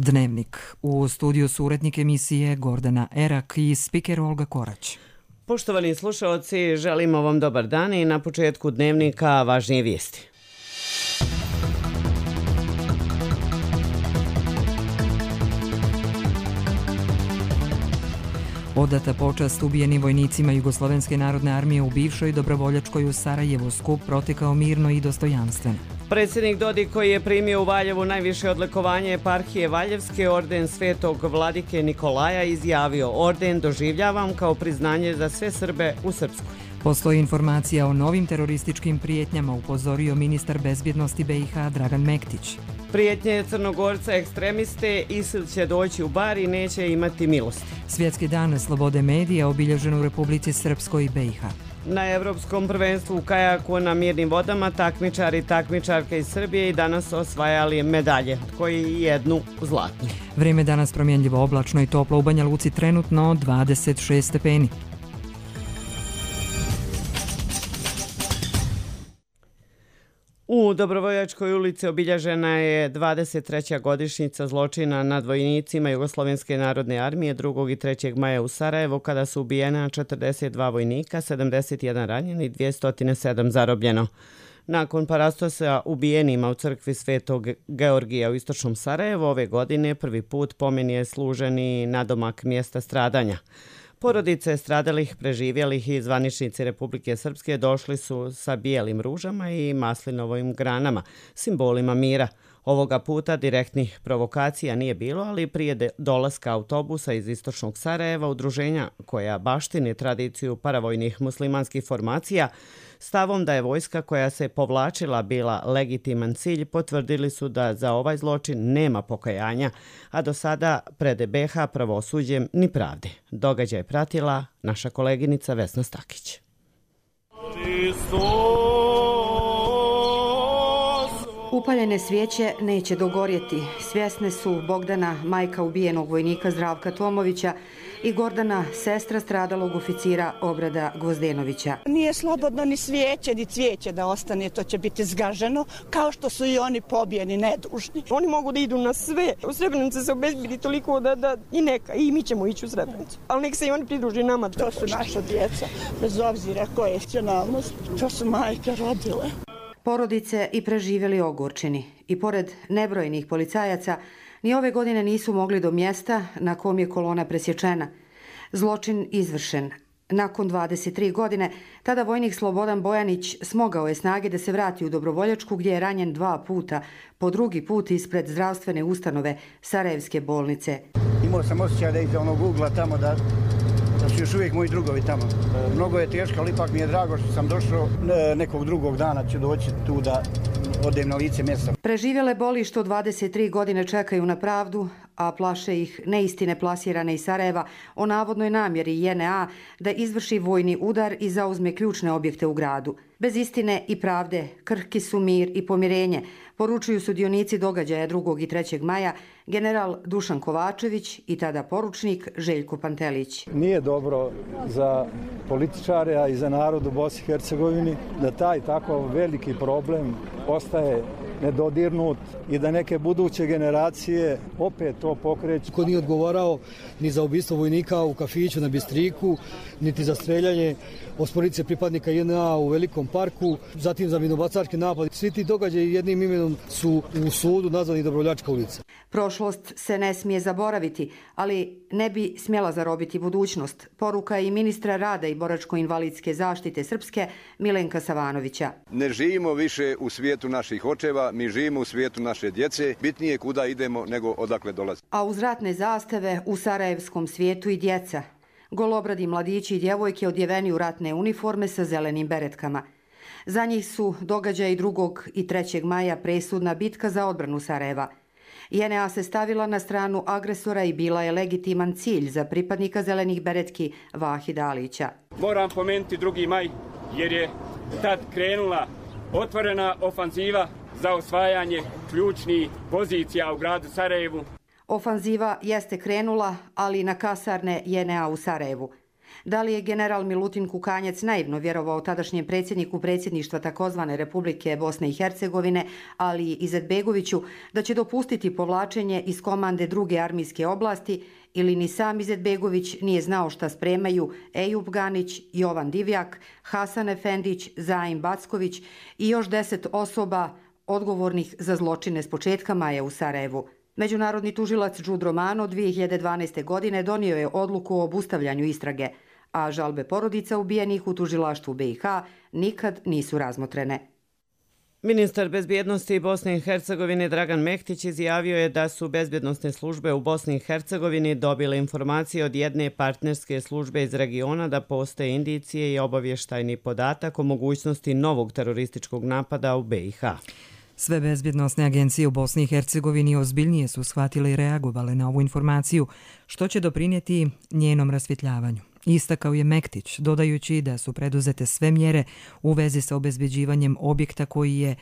Dnevnik. U studiju su urednik emisije Gordana Erak i spiker Olga Korać. Poštovani slušaoci, želimo vam dobar dan i na početku Dnevnika važnije vijesti. Odata počast ubijenim vojnicima Jugoslovenske narodne armije u bivšoj dobrovoljačkoj u Sarajevu. Skup protekao mirno i dostojanstveno. Predsjednik Dodik, koji je primio u Valjevu najviše odlikovanje eparhije Valjevske, orden Svetog vladike Nikolaja, izjavio: orden doživljavam kao priznanje za sve Srbe u Srpskoj. Postoji informacija o novim terorističkim prijetnjama, upozorio ministar bezbjednosti BiH Dragan Mektić. Prijetnje Crnogorca ekstremiste, ISIL će doći u Bar i neće imati milosti. Svjetski dan slobode medija obilježen u Republici Srpskoj i BiH. Na Evropskom prvenstvu u kajaku na mirnim vodama takmičari i takmičarke iz Srbije i danas osvajali medalje, koji jednu zlatnu. Vrijeme danas promjenljivo, oblačno i toplo, u Banja Luci trenutno 26 stepeni. U Dobrovoljačkoj ulici obilježena je 23. godišnjica zločina nad vojnicima Jugoslovenske narodne armije 2. i 3. maja u Sarajevu, kada su ubijena 42 vojnika, 71 ranjeni i 207 zarobljeno. Nakon parastosa ubijenima u crkvi Svetog Georgija u istočnom Sarajevu ove godine prvi put pomen je služen i nadomak mjesta stradanja. Porodice stradalih, preživjelih i zvaničnici Republike Srpske došli su sa bijelim ružama i maslinovim granama, simbolima mira. Ovoga puta direktnih provokacija nije bilo, ali prije dolaska autobusa iz istočnog Sarajeva, udruženja koja baštini tradiciju paravojnih muslimanskih formacija, stavom da je vojska koja se povlačila bila legitiman cilj, potvrdili su da za ovaj zločin nema pokajanja, a do sada pred BiH pravosuđem ni pravde. Događaj pratila naša koleginica Vesna Stakić. Upaljene svijeće neće dogorjeti. Svjesne su Bogdana, majka ubijenog vojnika Zdravka Tomovića, i Gordana, sestra stradalog oficira Obrada Gvozdenovića. Nije slobodno ni svijeće, ni cvijeće da ostane, to će biti zgaženo, kao što su i oni pobijeni, nedužni. Oni mogu da idu na sve. U Srebrenici se obezbedi toliko da i neka, i mi ćemo ići u Srebrenicu. Ali nek se i oni pridruži nama. To su naša djeca, bez obzira koje je nacionalnost, to su majke rodile. Porodice i preživjeli ogorčeni. I pored nebrojnih policajaca, ni ove godine nisu mogli do mjesta na kom je kolona presječena. Zločin izvršen. Nakon 23 godine, tada vojnik Slobodan Bojanić smogao je snage da se vrati u Dobrovoljačku, gdje je ranjen 2 puta, po drugi put ispred zdravstvene ustanove Sarajevske bolnice. Imao sam osjećaj da iza onog ugla tamo da su još uvijek moji drugovi tamo. Mnogo je teško, ali ipak mi je drago što sam došao. Nekog drugog dana ću doći tu da odem na lice mjesta. Preživjele boli što 23 godine čekaju na pravdu, a plaše ih neistine plasirane iz Sarajeva o navodnoj namjeri JNA da izvrši vojni udar i zauzme ključne objekte u gradu. Bez istine i pravde krhki su mir i pomirenje, poručuju sudionici događaja 2. i 3. maja general Dušan Kovačević i tada poručnik Željko Pantelić. Nije dobro za političare, a i za narod u Bosni i Hercegovini da taj tako veliki problem ostaje nedodirnut i da neke buduće generacije opet to pokreću. Ko nije odgovarao ni za ubistvo vojnika u kafiću na Bistriku, niti za streljanje osporice pripadnika JNA u Velikom parku, zatim za minobacački napad. Svi ti događaji jednim imenom su u sudu nazvani Dobrovoljačka ulica. Prošlost se ne smije zaboraviti, ali ne bi smjela zarobiti budućnost. Poruka je i ministra rada i boračko-invalidske zaštite Srpske Milenka Savanovića. Ne živimo više u svijetu naših očeva, mi živimo u svijetu naše djece. Bitnije kuda idemo nego odakle dolazi. A uz ratne zastave u sarajevskom svijetu i djeca. Golobradi mladići i djevojke odjeveni u ratne uniforme sa zelenim beretkama. Za njih su događaji 2. i 3. maja presudna bitka za odbranu Sarajeva. JNA se stavila na stranu agresora i bila je legitiman cilj za pripadnika zelenih beretki Vahida Alića. Moram pomenuti 2. maj jer je tad krenula otvorena ofanziva za osvajanje ključnih pozicija u gradu Sarajevu. Ofanziva jeste krenula, ali na kasarne JNA u Sarajevu. Da li je general Milutin Kukanjac naivno vjerovao tadašnjem predsjedniku predsjedništva takozvane Republike Bosne i Hercegovine, ali i Izetbegoviću, da će dopustiti povlačenje iz komande druge armijske oblasti, ili ni sam Izetbegović nije znao šta spremaju Ejub Ganić, Jovan Divjak, Hasan Efendić, Zaim Backović i još 10 osoba odgovornih za zločine s početka maja u Sarajevu. Međunarodni tužilac Đud Romano 2012. godine donio je odluku o obustavljanju istrage, a žalbe porodica ubijenih u tužilaštvu BiH nikad nisu razmotrene. Ministar bezbjednosti Bosne i Hercegovine Dragan Mehtić izjavio je da su bezbjednosne službe u Bosni i Hercegovini dobile informacije od jedne partnerske službe iz regiona da postoje indicije i obavještajni podatak o mogućnosti novog terorističkog napada u BiH. Sve bezbjednosne agencije u Bosni i Hercegovini ozbiljnije su shvatile i reagovale na ovu informaciju, što će doprinijeti njenom rasvjetljavanju. Istakao je Mektić, dodajući da su preduzete sve mjere u vezi sa obezbeđivanjem objekta koji je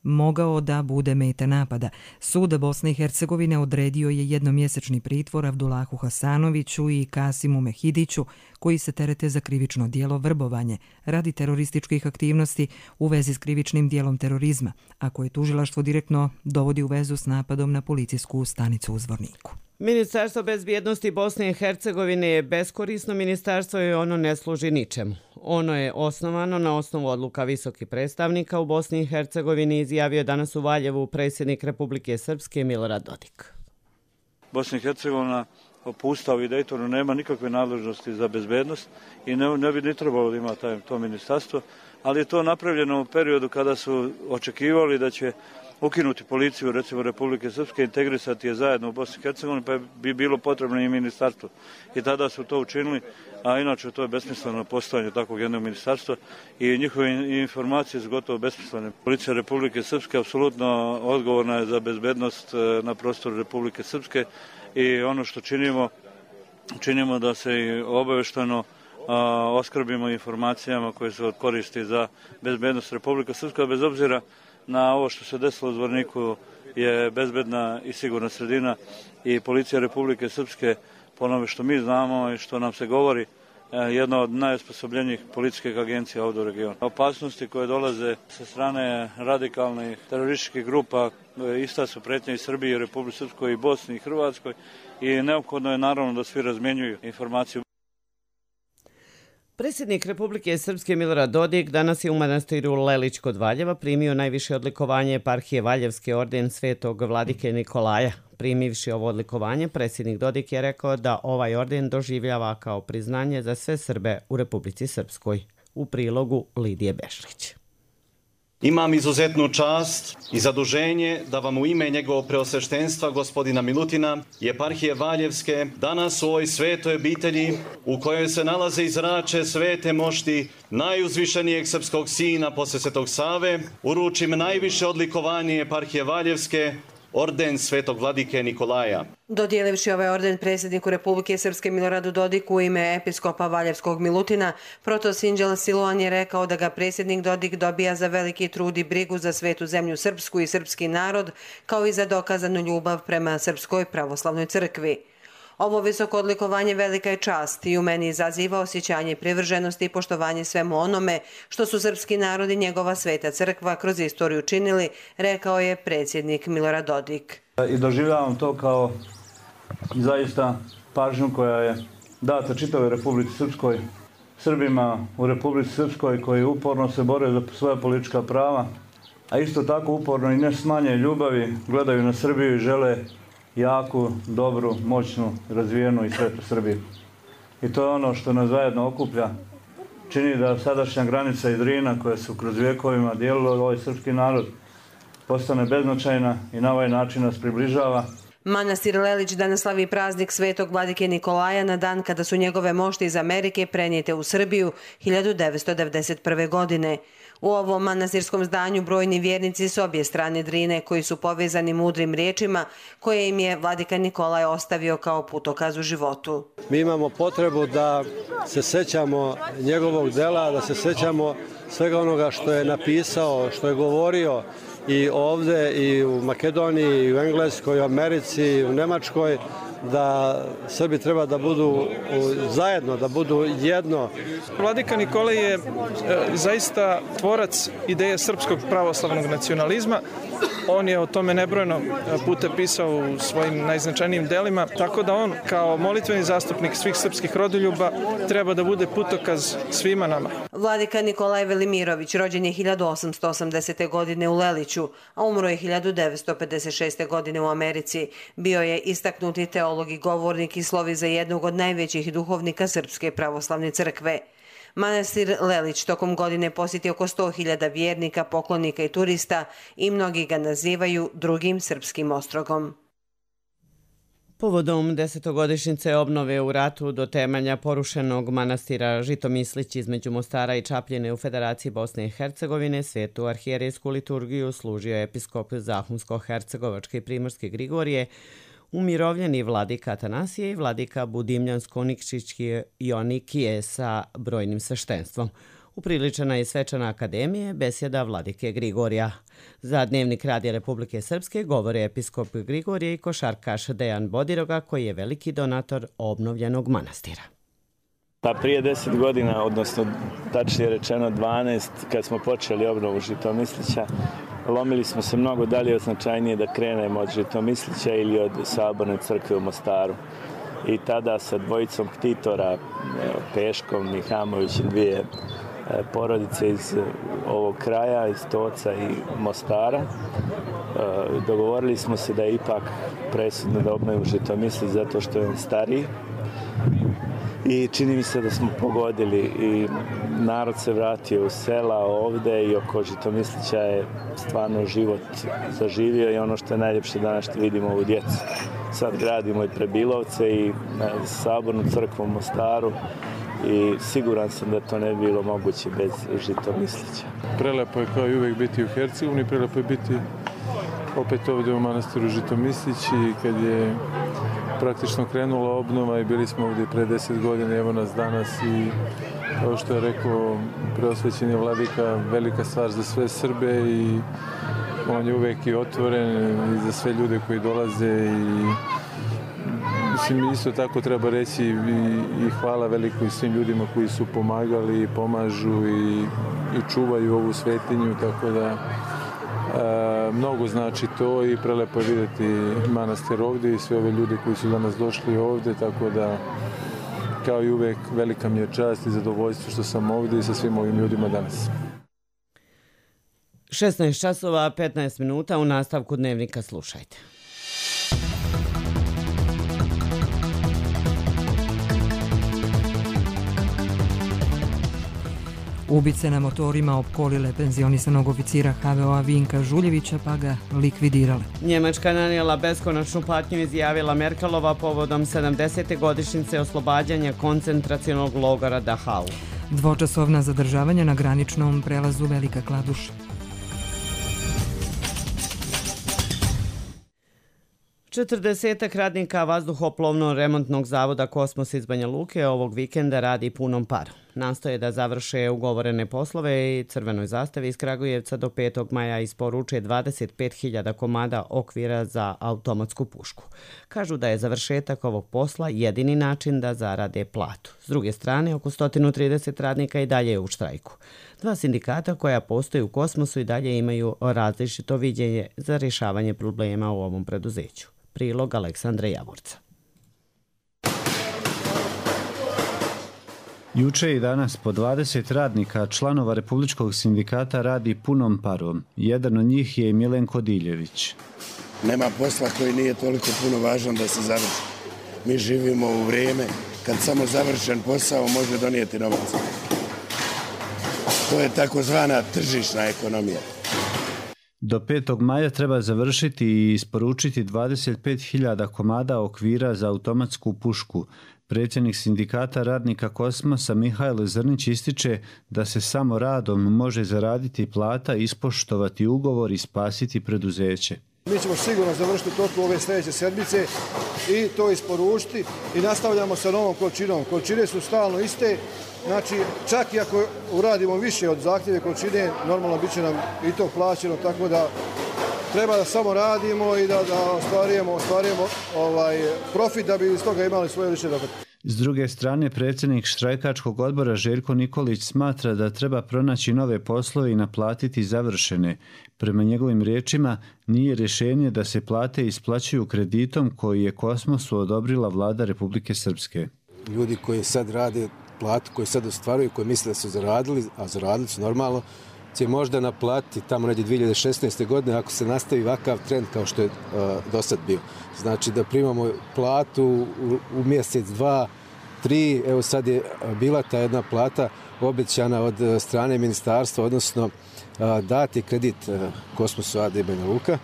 mogao da bude meta napada. Sud Bosne i Hercegovine odredio je jednomjesečni pritvor Abdulahu Hasanoviću i Kasimu Mehidiću, koji se terete za krivično djelo vrbovanje radi terorističkih aktivnosti u vezi s krivičnim djelom terorizma, a koje tužilaštvo direktno dovodi u vezu s napadom na policijsku stanicu u Zvorniku. Ministarstvo bezbjednosti Bosne i Hercegovine je beskorisno ministarstvo i ono ne služi ničemu. Ono je osnovano na osnovu odluka visokih predstavnika u Bosni i Hercegovini, izjavio danas u Valjevu predsjednik Republike Srpske Milorad Dodik. Bosna i Hercegovina po Ustavu i Dejtonu nema nikakve nadležnosti za bezbednost i ne bi ni trebalo da ima to ministarstvo, ali je to napravljeno u periodu kada su očekivali da će ukinuti policiju, recimo Republike Srpske, integrisati je zajedno u Bosni i Hercegovini, pa bi bilo potrebno i ministarstvo. I tada su to učinili, a inače to je besmisleno postojanje takvog jednog ministarstva i njihove informacije su gotovo besmislene. Policija Republike Srpske apsolutno odgovorna je za bezbednost na prostoru Republike Srpske i ono što činimo da se i obavešteno oskrbimo informacijama koje su od koristi za bezbednost Republike Srpske, bez obzira na ovo što se desilo u Zvorniku je bezbedna i sigurna sredina i policija Republike Srpske, po onome što mi znamo i što nam se govori, jedna od najosposobljenijih policijskih agencija ovdje u regionu. Opasnosti koje dolaze sa strane radikalnih terorističkih grupa ista su pretnja i Srbiji, i Republike Srpskoj, i Bosni, i Hrvatskoj i neophodno je naravno da svi razmjenjuju informaciju. Predsjednik Republike Srpske Milorad Dodik danas je u manastiru Lelić kod Valjeva primio najviše odlikovanje eparhije Valjevske orden Svetog vladike Nikolaja. Primivši ovo odlikovanje, predsjednik Dodik je rekao da ovaj orden doživljava kao priznanje za sve Srbe u Republici Srpskoj. U prilogu Lidije Bešlić. Imam izuzetnu čast i zaduženje da vam u ime njegovog preosveštenstva gospodina Milutina i eparhije Valjevske danas u ovoj svetoj obitelji u kojoj se nalaze i zrače svete mošti najuzvišenijeg srpskog sina posle Svetog Save uručim najviše odlikovanje eparhije Valjevske, orden Svetog vladike Nikolaja. Dodijelivši ovaj orden predsjedniku Republike Srpske Miloradu Dodiku u ime episkopa Valjevskog Milutina, protosinđel Siloan je rekao da ga predsjednik Dodik dobija za veliki trud i brigu za svetu zemlju srpsku i srpski narod, kao i za dokazanu ljubav prema Srpskoj pravoslavnoj crkvi. Ovo visoko odlikovanje velika je čast i u meni izaziva osjećanje privrženosti i poštovanje svemu onome što su srpski narod i njegova sveta crkva kroz istoriju činili, rekao je predsjednik Milorad Dodik. I doživljavam to kao zaista pažnju koja je data čitavoj Republici Srpskoj, Srbima u Republici Srpskoj koji uporno se bore za svoja politička prava, a isto tako uporno i ne s manje ljubavi gledaju na Srbiju i žele jaku, dobru, moćnu, razvijenu i svetu Srbiju. I to je ono što nas zajedno okuplja. Čini da sadašnja granica i Drina koja su kroz vjekovima dijelila ovaj srpski narod postane beznačajna i na ovaj način nas približava. Manastir Lelić danas slavi praznik Svetog vladike Nikolaja na dan kada su njegove mošti iz Amerike prenijete u Srbiju 1991. godine. U ovom manastirskom zdanju brojni vjernici s obje strane Drine koji su povezani mudrim riječima koje im je vladika Nikolaj ostavio kao putokaz u životu. Mi imamo potrebu da se sećamo njegovog dela, da se sećamo svega onoga što je napisao, što je govorio i ovde i u Makedoniji, i u Engleskoj, i u Americi, i u Nemačkoj, da Srbi treba da budu zajedno, da budu jedno. Vladika Nikolaj je zaista tvorac ideje srpskog pravoslavnog nacionalizma. On je o tome nebrojeno puta pisao u svojim najznačajnijim delima, tako da on kao molitveni zastupnik svih srpskih rodoljuba treba da bude putokaz svima nama. Vladika Nikolaj Velimirović rođen je 1880. godine u Leliću, a umro je 1956. godine u Americi. Bio je istaknuti teolog i govornik i slovi za jednog od najvećih duhovnika Srpske pravoslavne crkve. Manastir Lelić tokom godine posjeti oko 100.000 vjernika, poklonika i turista i mnogi ga nazivaju drugim srpskim ostrogom. Povodom 10-godišnjice obnove u ratu do temelja porušenog manastira Žitomislić između Mostara i Čapljine u Federaciji Bosne i Hercegovine, svetu arhijerejsku liturgiju služio episkop Zahumsko-hercegovačke i Primorske Grigorije, umirovljeni vladika Atanasije i vladika Budimljansko-Nikšićki Jonikije sa brojnim sveštenstvom. Upriličena je svečana akademije besjeda vladike Grigorija. Za Dnevnik Radija Republike Srpske govore episkop Grigorije i košarkaš Dejan Bodiroga, koji je veliki donator obnovljenog manastira. Pa prije 10 godina, odnosno tačnije rečeno 12, kad smo počeli obnovu Žitomislića, lomili smo se mnogo dalje od značajnije da krenemo od Žitomislića ili od Saborne crkve u Mostaru. I tada sa dvojicom ktitora, Peškom i Hamovićem, dvije porodice iz ovog kraja, iz Toca i Mostara, dogovorili smo se da je ipak presudno da obnovimo Žitomislić zato što je stariji. I čini mi se da smo pogodili i narod se vratio u sela ovde i oko Žitomislića je stvarno život zaživio i ono što je najljepše danas što vidimo ovu djecu. Sad gradimo i Prebilovce i Sabornu crkvu u Mostaru i siguran sam da to ne bi bilo moguće bez Žitomislića. Prelepo je kao i uvek biti u Hercegovini, prelepo je biti opet ovdje u manastiru Žitomislić i kad je praktično krenula obnova i bili smo ovdje pre 10 godina, evo nas danas i kao što je rekao preosvećeni vladika, velika stvar za sve Srbe i on je uvek i otvoren i za sve ljude koji dolaze i mislim isto tako treba reći i hvala veliko i svim ljudima koji su pomagali i pomažu i čuvaju ovu svetinju, tako da mnogo znači to i prelepo je vidjeti manastir ovdje i sve ove ljude koji su danas došli ovdje, tako da kao i uvek velika mi je čast i zadovoljstvo što sam ovdje i sa svim ovim ljudima danas. 16 časova, 15 minuta, u nastavku Dnevnika slušajte. Ubice na motorima opkolile penzionisanog oficira HVO-a Vinka Žuljevića pa ga likvidirale. Njemačka nanijela beskonačnu patnju, izjavila Merkelova povodom 70. godišnjice oslobađanja koncentracionog logora Dachau. Dvočasovna zadržavanja na graničnom prelazu Velika Kladuša. Četrdesetak radnika vazduhoplovno-remontnog zavoda Kosmos iz Banja Luke ovog vikenda radi punom parom. Nastoje da završe ugovorene poslove i Crvenoj zastavi iz Kragujevca do 5. maja isporuče 25.000 komada okvira za automatsku pušku. Kažu da je završetak ovog posla jedini način da zarade platu. S druge strane, oko 130 radnika i dalje je u štrajku. Dva sindikata koja postoji u Kosmosu i dalje imaju različito viđenje za rješavanje problema u ovom preduzeću. Prilog Aleksandra Javorca. Juče i danas po 20 radnika članova Republičkog sindikata radi punom parom. Jedan od njih je Milenko Diljević. Nema posla koji nije toliko puno važan da se završi. Mi živimo u vrijeme kad samo završen posao može donijeti novac. To je takozvana tržišna ekonomija. Do 5. maja treba završiti i isporučiti 25.000 komada okvira za automatsku pušku. Predsjednik sindikata radnika Kosmosa Mihajlo Zrnić ističe da se samo radom može zaraditi plata, ispoštovati ugovor i spasiti preduzeće. Mi ćemo sigurno završiti toku ove sljedeće sedmice i to isporučiti i nastavljamo sa novom količinom. Količine su stalno iste, znači čak i ako uradimo više od zahtjeve količine, normalno bit će nam i to plaćeno, tako da treba da samo radimo i da ostvarujemo profit da bi iz toga imali svoje lične dohotke. S druge strane, predsjednik štrajkačkog odbora Željko Nikolić smatra da treba pronaći nove poslove i naplatiti završene. Prema njegovim riječima, nije rješenje da se plate isplaćuju kreditom koji je Kosmosu odobrila vlada Republike Srpske. Ljudi koji sad rade platu, koji sad ostvaruju, koji misle da su zaradili, a zaradili su normalno, će možda naplatiti tamo negdje 2016. godine ako se nastavi ovakav trend kao što je do sad bio. Znači da primamo platu u mjesec, 2, 3, evo sad je bila ta jedna plata obećana od strane ministarstva, odnosno dati kredit Kosmosu AD Banja Luka.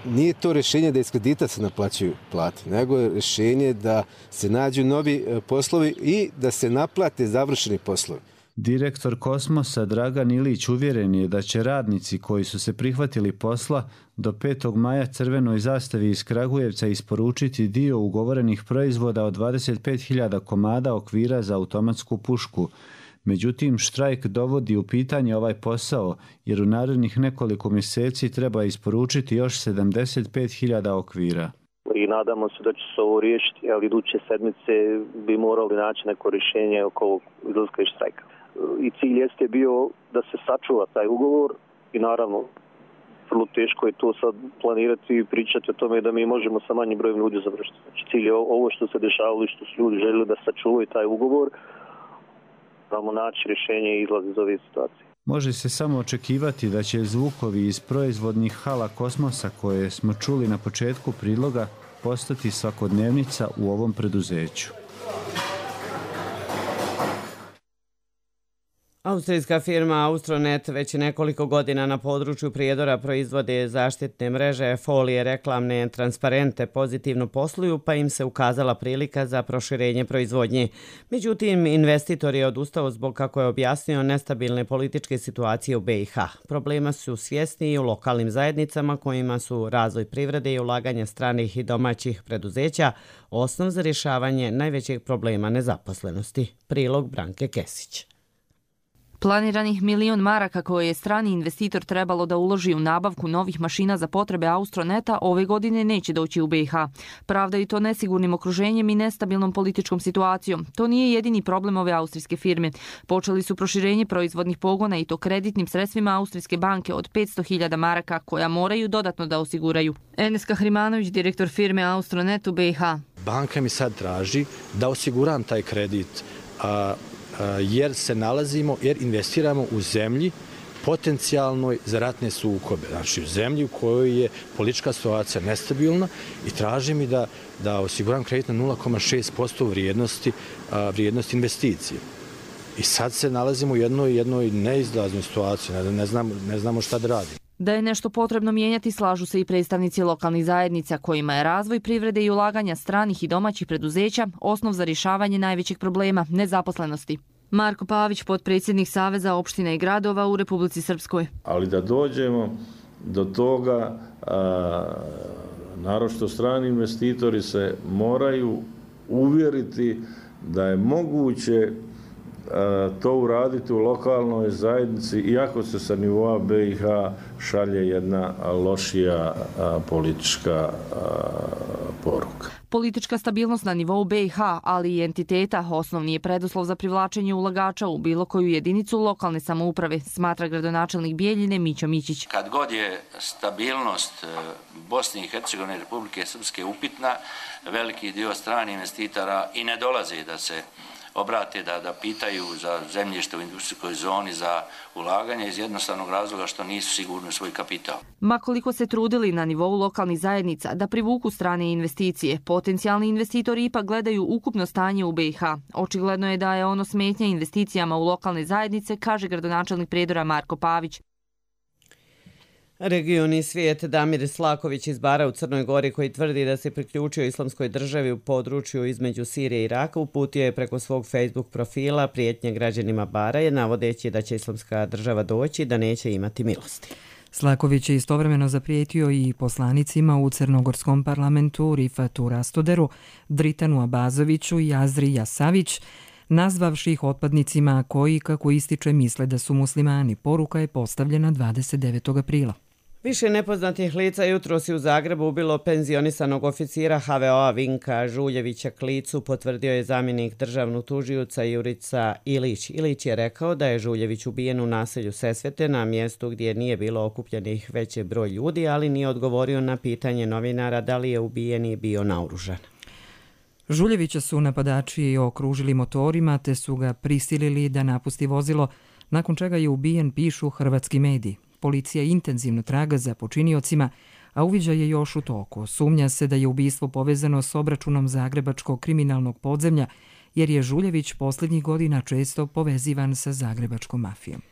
Nije to rješenje da iz kredita se naplaćuju plate, nego je rješenje da se nađu novi poslovi i da se naplate završeni poslovi. Direktor Kosmosa Dragan Ilić uvjeren je da će radnici koji su se prihvatili posla do 5. maja Crvenoj zastavi iz Kragujevca isporučiti dio ugovorenih proizvoda od 25.000 komada okvira za automatsku pušku. Međutim, štrajk dovodi u pitanje ovaj posao, jer u narednih nekoliko mjeseci treba isporučiti još 75.000 okvira. I nadamo se da će se ovo riješiti, ali iduće sedmice bi morali naći neko rješenje oko ovog izlaska iz štrajka. I cilj jeste bio da se sačuva taj ugovor i naravno vrlo teško je to sad planirati i pričati o tome da mi možemo sa manjim brojem ljudi završiti. Znači cilj je ovo što se dešavalo i što su ljudi željeli da sačuvaju taj ugovor, da naći rješenje i izlaz iz ove situacije. Može se samo očekivati da će zvukovi iz proizvodnih hala Kosmosa koje smo čuli na početku priloga postati svakodnevnica u ovom preduzeću. Austrijska firma Austronet već nekoliko godina na području Prijedora proizvode zaštitne mreže, folije, reklamne transparente, pozitivno posluju, pa im se ukazala prilika za proširenje proizvodnje. Međutim, investitor je odustao zbog, kako je objasnio, nestabilne političke situacije u BiH. Problema su svjesni i u lokalnim zajednicama kojima su razvoj privrede i ulaganje stranih i domaćih preduzeća osnov za rješavanje najvećeg problema nezaposlenosti. Prilog Branke Kesić. Planiranih 1 milion maraka koje je strani investitor trebalo da uloži u nabavku novih mašina za potrebe Austroneta ove godine neće doći u BiH. Pravdaju to nesigurnim okruženjem i nestabilnom političkom situacijom. To nije jedini problem ove austrijske firme. Počeli su proširenje proizvodnih pogona i to kreditnim sredstvima Austrijske banke od 500.000 maraka koja moraju dodatno da osiguraju. Enes Kahrimanović, direktor firme Austronet u BiH. Banka mi sad traži da osiguram taj kredit, jer investiramo u zemlji potencijalnoj za ratne sukobe. Znači u zemlji u kojoj je politička situacija nestabilna i traži mi da osiguram kredit na 0,6% vrijednosti investicije. I sad se nalazimo u jednoj neizlaznoj situaciji, ne znamo šta da radimo. Da je nešto potrebno mijenjati slažu se i predstavnici lokalnih zajednica kojima je razvoj privrede i ulaganja stranih i domaćih preduzeća osnov za rješavanje najvećeg problema nezaposlenosti. Marko Pavić, potpredsjednik Saveza opština i gradova u Republici Srpskoj. Ali da dođemo do toga, naročito strani investitori se moraju uvjeriti da je moguće to uraditi u lokalnoj zajednici, iako se sa nivoa BiH šalje jedna lošija politička poruka. Politička stabilnost na nivou BiH, ali i entiteta, osnovni je preduslov za privlačenje ulagača u bilo koju jedinicu lokalne samouprave, smatra gradonačelnik Bijeljine Mićo Mićić. Kad god je stabilnost Bosne i Hercegovine i Republike Srpske upitna, veliki dio stranih investitora i ne dolaze da se obrate, da pitaju za zemljište u industrijskoj zoni, za ulaganje iz jednostavnog razloga što nisu sigurni u svoj kapital. Ma koliko se trudili na nivou lokalnih zajednica da privuku strane investicije, potencijalni investitori ipak gledaju ukupno stanje u BiH. Očigledno je da je ono smetnja investicijama u lokalne zajednice, kaže gradonačelnik Prijedora Marko Pavić. Regioni svijet Damir Slaković iz Bara u Crnoj Gori, koji tvrdi da se priključio islamskoj državi u području između Sirije i Iraka, uputio je preko svog Facebook profila prijetnje građanima Bara, navodeći da će islamska država doći da neće imati milosti. Slaković je istovremeno zaprijetio i poslanicima u crnogorskom parlamentu Rifatu Rastoderu, Dritanu Abazoviću i Azri Jasavić, nazvavši ih otpadnicima koji, kako ističe, misle da su muslimani. Poruka je postavljena 29. aprila. Više nepoznatih lica jutros je u Zagrebu ubilo penzionisanog oficira HVO-a Vinka Žuljevića Klicu, potvrdio je zamjenik državnog tužioca Jurica Ilić. Ilić je rekao da je Žuljević ubijen u naselju Sesvete, na mjestu gdje nije bilo okupljenih veći broj ljudi, ali nije odgovorio na pitanje novinara da li je ubijeni bio naoružan. Žuljevića su napadači okružili motorima te su ga prisilili da napusti vozilo, nakon čega je ubijen, pišu hrvatski mediji. Policija intenzivno traga za počiniocima, a uviđaj je još u toku. Sumnja se da je ubistvo povezano s obračunom zagrebačkog kriminalnog podzemlja, jer je Žuljević posljednjih godina često povezivan sa zagrebačkom mafijom.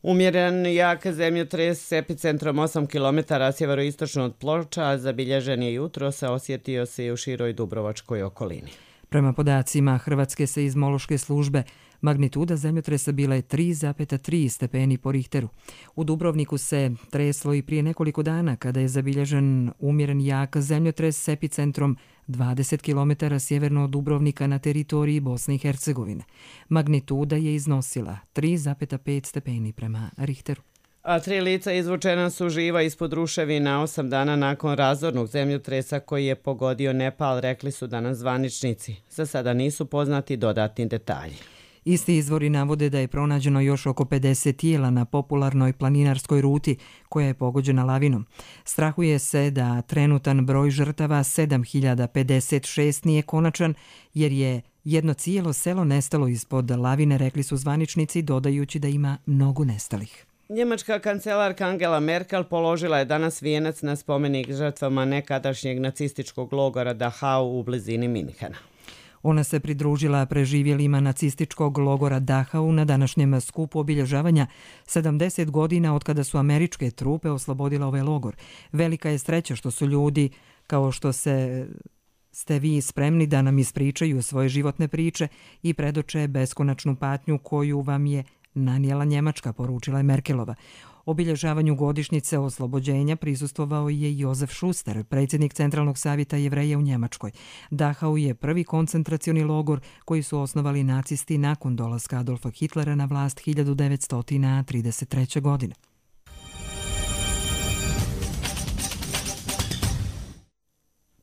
Umjeren jak zemljotres s epicentrom 8 km sjeveroistočno od Ploča zabilježen je jutro, osjetio se i u široj dubrovačkoj okolini. Prema podacima Hrvatske seizmološke službe, magnituda zemljotresa bila je 3,3 stepeni po Richteru. U Dubrovniku se treslo i prije nekoliko dana kada je zabilježen umjeren jak zemljotres s epicentrom 20 km sjeverno od Dubrovnika na teritoriji Bosne i Hercegovine. Magnituda je iznosila 3,5 stepeni prema Richteru. A 3 lica izvučena su živa ispod ruševina 8 dana nakon razornog zemljotresa koji je pogodio Nepal, rekli su danas zvaničnici. Za sada nisu poznati dodatni detalji. Isti izvori navode da je pronađeno još oko 50 tijela na popularnoj planinarskoj ruti koja je pogođena lavinom. Strahuje se da trenutan broj žrtava 7056 nije konačan, jer je jedno cijelo selo nestalo ispod lavine, rekli su zvaničnici, dodajući da ima mnogo nestalih. Njemačka kancelarka Angela Merkel položila je danas vijenac na spomenik žrtvama nekadašnjeg nacističkog logora Dachau u blizini Minhena. Ona se pridružila preživjelima nacističkog logora Dachau na današnjem skupu obilježavanja 70 godina od kada su američke trupe oslobodile ovaj logor. Velika je sreća što su ljudi, kao što ste vi spremni da nam ispričaju svoje životne priče i predoče beskonačnu patnju koju vam je nanijela Njemačka, poručila je Merkelova. Obilježavanju godišnjice oslobođenja prisustvovao je Jozef Schuster, predsjednik Centralnog savjeta Jevreja u Njemačkoj. Dachau je prvi koncentracioni logor koji su osnovali nacisti nakon dolaska Adolfa Hitlera na vlast 1933. godine.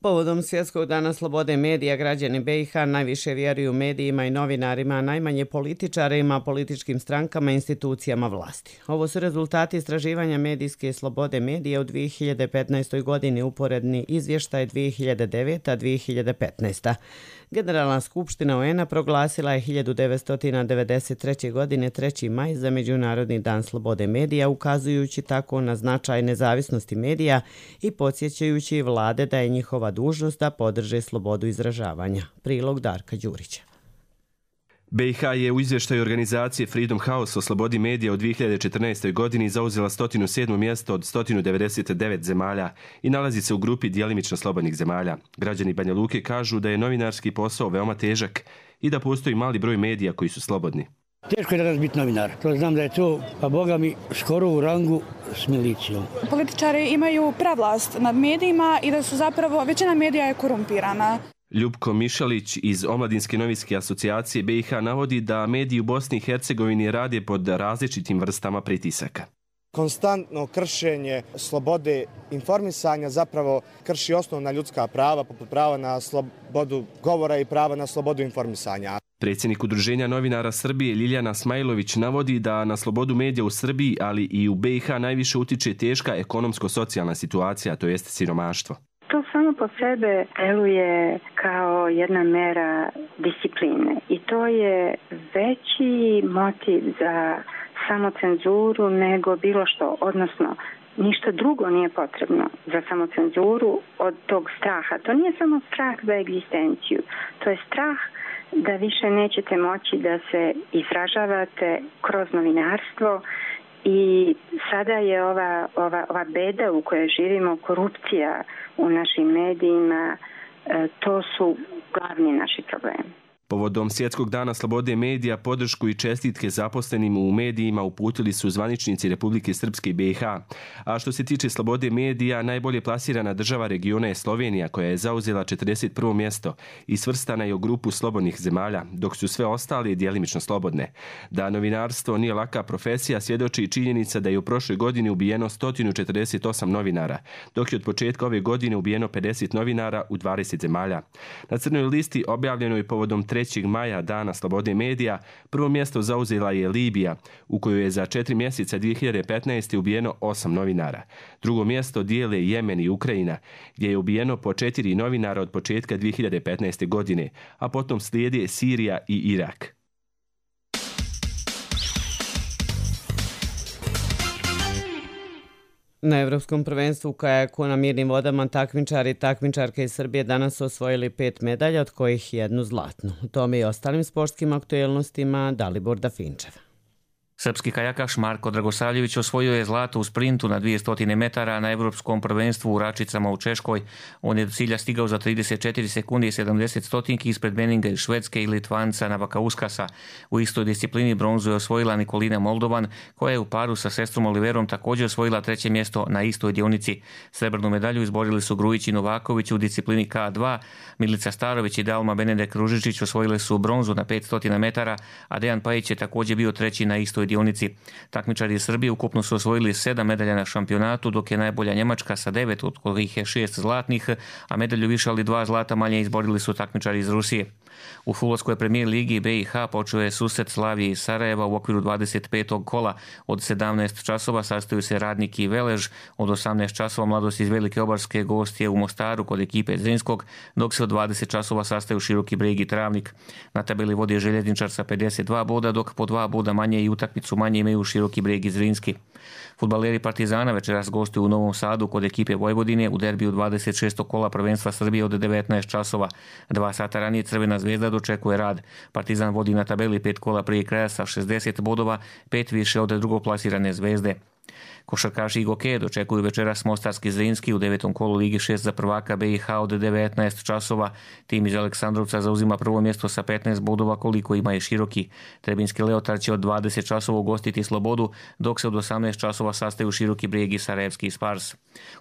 Povodom Svjetskog dana slobode medija, građani BiH najviše vjeruju medijima i novinarima, a najmanje političarima, političkim strankama i institucijama vlasti. Ovo su rezultati istraživanja medijske slobode medija u 2015. godini, uporedni izvještaj 2009-2015. Generalna skupština UN-a proglasila je 1993. godine 3. maj za Međunarodni dan slobode medija, ukazujući tako na značaj nezavisnosti medija i podsjećajući vlade da je njihova dužnost da podrže slobodu izražavanja. Prilog Darka Đurića. BiH je u izvještaju organizacije Freedom House o slobodi medija u 2014. godini zauzela 107. mjesto od 199 zemalja i nalazi se u grupi djelimično slobodnih zemalja. Građani Banja Luke kažu da je novinarski posao veoma težak i da postoji mali broj medija koji su slobodni. Teško je danas biti novinar. To znam da je to, pa Boga mi, skoro u rangu s milicijom. Političari imaju prevlast nad medijima i da su zapravo, većina medija je korumpirana. Ljubko Mišalić iz Omladinske novinske asocijacije BiH navodi da mediji u Bosni i Hercegovini rade pod različitim vrstama pritisaka. Konstantno kršenje slobode informisanja zapravo krši osnovna ljudska prava, poput prava na slobodu govora i prava na slobodu informisanja. Predsjednik Udruženja novinara Srbije Ljiljana Smajlović navodi da na slobodu medija u Srbiji, ali i u BiH najviše utiče teška ekonomsko-socijalna situacija, to jest siromaštvo. To samo po sebe deluje kao jedna mera discipline i to je veći motiv za samocenzuru nego bilo što, odnosno ništa drugo nije potrebno za samocenzuru od tog straha. To nije samo strah za egzistenciju, to je strah da više nećete moći da se izražavate kroz novinarstvo. I sada je ova beda u kojoj živimo, korupcija u našim medijima, to su glavni naši problemi. Povodom Svjetskog dana slobode medija podršku i čestitke zaposlenim u medijima uputili su zvaničnici Republike Srpske i BiH. A što se tiče slobode medija, najbolje plasirana država regiona je Slovenija, koja je zauzela 41. mjesto i svrstana je u grupu slobodnih zemalja, dok su sve ostale djelimično slobodne. Da novinarstvo nije laka profesija svjedoči i činjenica da je u prošloj godini ubijeno 148 novinara, dok je od početka ove godine ubijeno 50 novinara u 20 zemalja. Na crnoj listi objavljenoj povodom 3. maja, dana slobode medija, prvo mjesto zauzela je Libija, u kojoj je za 4 mjeseca 2015. ubijeno 8 novinara. Drugo mjesto dijele Jemen i Ukrajina, gdje je ubijeno po 4 novinara od početka 2015. godine, a potom slijede Sirija i Irak. Na Evropskom prvenstvu u kajaku na mirnim vodama takmičari i takmičarke iz Srbije danas su osvojili 5 medalja, od kojih 1 zlatnu. U tome i ostalim sportskim aktuelnostima Dalibor Dafinčev. Srpski kajakaš Marko Dragosavljević osvojio je zlato u sprintu na 200 metara na Evropskom prvenstvu u Račicama u Češkoj. On je do cilja stigao za 34 sekunde i 70 stotinki ispred Beninga iz Švedske i Litvanca Navakauskasa. U istoj disciplini bronzu je osvojila Nikolina Moldovan, koja je u paru sa sestrom Oliverom također osvojila 3. mjesto na istoj dionici. Srebrnu medalju izborili su Grujić i Novaković u disciplini K2, Milica Starović i Dalma Benedek Ružičić osvojile su bronzu na 500 metara, a Dejan Pajić je također bio 3. na istoj dionici. Takmičari iz Srbije ukupno su osvojili 7 medalja na šampionatu, dok je najbolja Njemačka sa 9, od kojih je 6 zlatnih, a medalju više ali 2 zlata manje izborili su takmičari iz Rusije. U fudbalskoj premijer ligi BiH počeo je susret Slavije i Sarajeva u okviru 25. kola. Od 17 časova sastaju se Radnik i Velež, od 18 časova Mladost iz Velike Obarske gostje u Mostaru kod ekipe Zrinskog, dok se od 20 časova sastaju Široki Breg i Travnik. Na tabeli vodi Željezničar sa 52 boda, dok po 2 boda manje i utakmicu manje imaju Široki Breg i Zrinski. Fudbaleri Partizana večeras gostuju u Novom Sadu kod ekipe Vojvodine u derbiju 26. kola prvenstva Srbije od 19 časova. 2 sata ranije Crvena Zvezda dočekuje Rad. Partizan vodi na tabeli 5 kola prije kraja sa 60 bodova, 5 više od drugoplasirane Zvezde. Košarkaši Igoke dočekuju večeras Mostarski Zrinski u 9. kolu Ligi 6 za prvaka BiH od 19 časova. Tim iz Aleksandrovca zauzima prvo mjesto sa 15 bodova koliko ima i Široki. Trebinski Leotar će od 20 časova ugostiti Slobodu, dok se od 18 časova sastaju Široki Brijeg i Sarajevski Spars.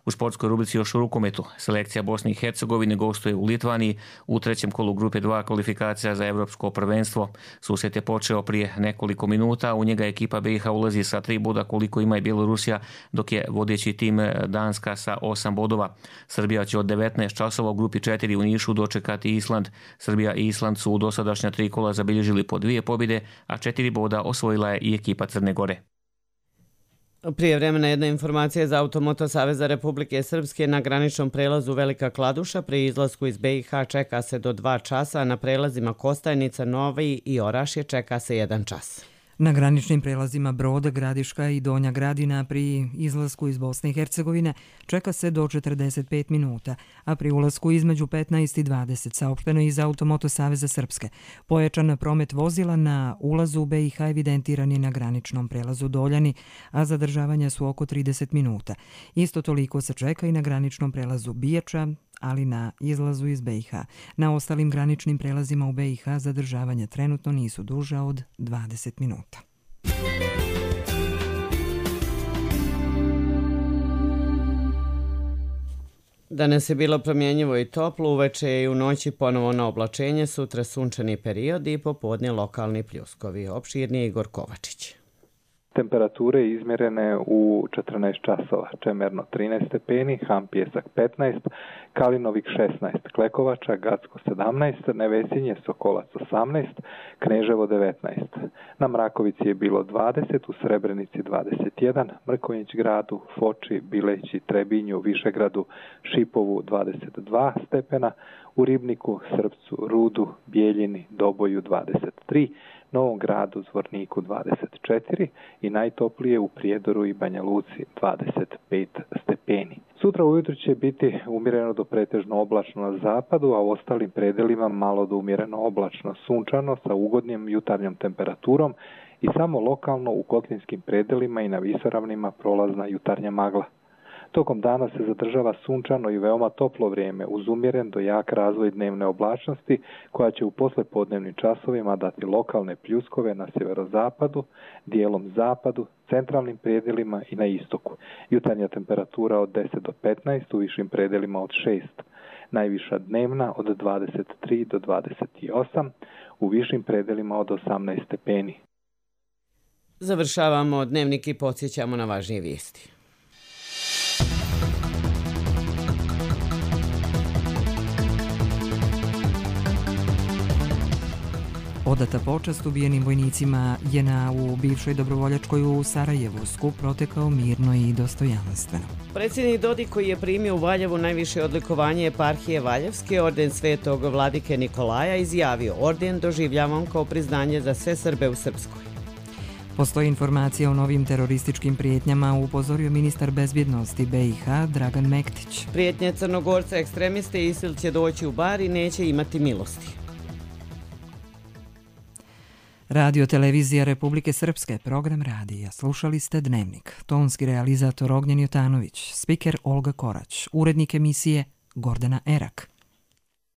U sportskoj rubrici još u rukometu. Selekcija Bosne i Hercegovine gostuje u Litvaniji u 3. kolu grupe 2 kvalifikacija za Evropsko prvenstvo. Susret je počeo prije nekoliko minuta, u njega ekipa BiH ulazi sa 3 boda koliko ima i Bjelorusija, dok je vodeći tim Danska sa 8 bodova. Srbija će od 19 časova u grupi 4 u Nišu dočekati Island. Srbija i Island su u dosadašnja 3 kola zabilježili po 2 pobjede, a 4 boda osvojila je i ekipa Crne Gore. Prije vremena jedna informacija za Automoto Saveza Republike Srpske na graničnom prelazu Velika Kladuša. Pri izlasku iz BiH čeka se do 2 časa, na prelazima Kostajnica, Novi i Orašje čeka se 1 čas. Na graničnim prelazima Brod, Gradiška i Donja Gradina pri izlasku iz Bosne i Hercegovine čeka se do 45 minuta, a pri ulasku između 15 i 20, saopšteno iz Automoto Saveza Srpske. Pojačan promet vozila na ulazu u BiH evidentiran je na graničnom prelazu Doljani, a zadržavanja su oko 30 minuta. Isto toliko se čeka i na graničnom prelazu Bijača, ali na izlazu iz BiH. Na ostalim graničnim prelazima u BiH zadržavanja trenutno nisu duža od 20 minuta. Danas je bilo promjenjivo i toplo, uveče i u noći ponovo na oblačenje, sutra sunčani period i popodne lokalni pljuskovi. Opširnije Igor Kovačić. Temperature izmjerene u 14 časova, Čemerno 13 stepeni, Ham Pjesak 15, Kalinovik 16, Klekovača, Gacko 17, Nevesinje, Sokolac 18, Kneževo 19. Na Mrakovici je bilo 20, u Srebrenici 21, Mrkonjić gradu, Foči, Bileći, Trebinju, Višegradu, Šipovu 22 stepena, u Ribniku, Srpcu, Rudu, Bijeljini, Doboju 23, Novom gradu, Zvorniku 24 i najtoplije u Prijedoru i Banja Luci 25 stepeni. Sutra ujutro će biti umjereno do pretežno oblačno na zapadu, a u ostalim predelima malo do umjereno oblačno sunčano sa ugodnim jutarnjom temperaturom i samo lokalno u kotlinskim predelima i na visoravnima prolazna jutarnja magla. Tokom dana se zadržava sunčano i veoma toplo vrijeme uz umjeren do jak razvoj dnevne oblačnosti koja će u poslepodnevnim časovima dati lokalne pljuskove na sjeverozapadu, dijelom zapadu, centralnim predjelima i na istoku. Jutarnja temperatura od 10 do 15, u višim predjelima od 6. Najviša dnevna od 23 do 28, u višim predjelima od 18 stepeni. Završavamo dnevnik i podsjećamo na važnije vijesti. Odata počast ubijenim vojnicima JNA u bivšoj dobrovoljačkoj u Sarajevu. Skup protekao mirno i dostojanstveno. Predsjednik Dodik, koji je primio u Valjevu najviše odlikovanje eparhije Valjevske, orden Svetog vladike Nikolaja, izjavio: orden doživljavam kao priznanje za sve Srbe u Srpskoj. Postoji informacija o novim terorističkim prijetnjama, upozorio ministar bezbjednosti BiH Dragan Mektić. Prijetnje Crnogorca ekstremiste ISIL će doći u Bar i neće imati milosti. Radio Televizija Republike Srpske, program radija. Slušali ste Dnevnik. Tonski realizator Ognjen Jotanović, spiker Olga Korać, urednik emisije Gordana Erak.